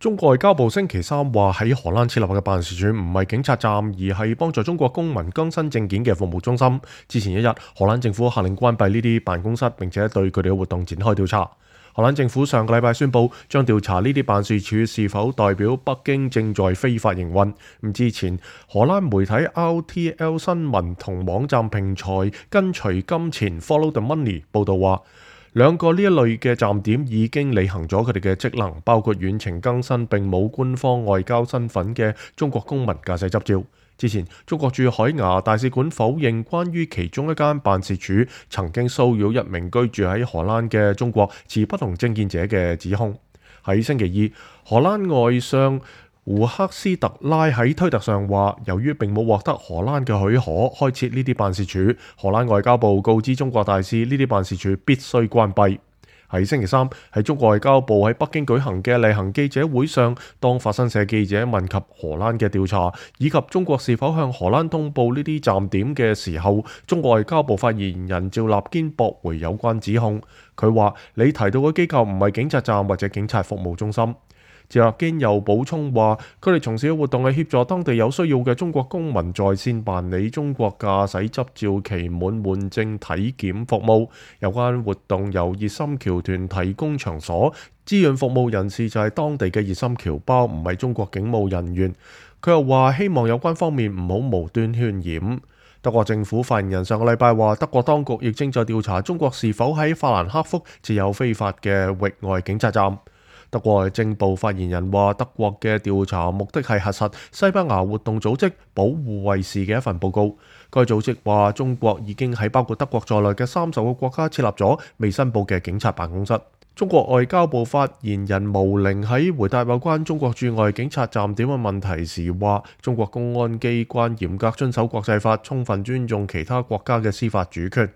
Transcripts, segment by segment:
中國外交部星期三話喺荷蘭設立嘅辦事處唔係警察站，而係幫助中國公民更新證件嘅服務中心。之前一日，荷蘭政府下令關閉呢啲辦公室，並且對佢哋嘅活動展開調查。荷蘭政府上個禮拜宣布將調查呢啲辦事處是否代表北京正在非法營運。之前荷蘭媒體 RTL 新聞同網站平台跟隨金錢 Follow the Money 報道話，兩個呢一類嘅站點已經履行咗佢哋嘅職能，包括遠程更新並冇官方外交身份嘅中國公民駕駛執照。之前，中國駐海牙大使館否認關於其中一間辦事處曾經騷擾一名居住喺荷蘭嘅中國持不同政見者嘅指控。喺星期二，荷蘭外相胡克斯特拉喺推特上話，由於並冇獲得荷蘭嘅許可開設呢啲辦事處，荷蘭外交部告知中國大使呢啲辦事處必須關閉。喺星期三，喺中國外交部喺北京舉行嘅例行記者會上，當法新社記者問及荷蘭嘅調查以及中國是否向荷蘭通報呢啲站點嘅時候，中國外交部發言人趙立堅駁回有關指控。佢話：你提到嘅機構唔係警察站或者警察服務中心。趙立堅又補充話，佢哋從事嘅活動係協助當地有需要嘅中國公民在線辦理中國駕駛執照期滿換證體檢服務。有關活動由熱心僑團提供場所，志願服務人士就係當地嘅熱心僑胞，唔係中國警務人員。佢又話希望有關方面唔好無端渲染。德國政府發言人上個禮拜話，德國當局亦正在調查中國是否喺法蘭克福設有非法嘅域外警察站。德國內政部發言人話，德國嘅調查目的係核實西班牙活動組織保護衛士嘅一份報告。該組織話，中國已經喺包括德國在內嘅30個國家設立咗未申報嘅警察辦公室。中國外交部發言人毛寧喺回答有關中國駐外警察站點嘅問題時話，中國公安機關嚴格遵守國際法，充分尊重其他國家嘅司法主權。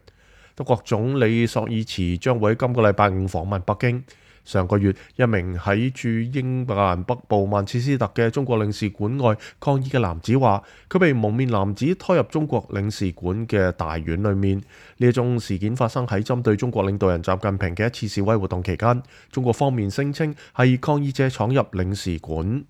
德國總理朔爾茨將會喺今個禮拜5訪問北京。上個月，一名喺駐英格蘭北部曼徹斯特嘅中國領事館外抗議嘅男子話，佢被蒙面男子拖入中國領事館嘅大院裏面。呢一宗事件發生喺針對中國領導人習近平嘅一次示威活動期間，中國方面聲稱係抗議者闖入領事館。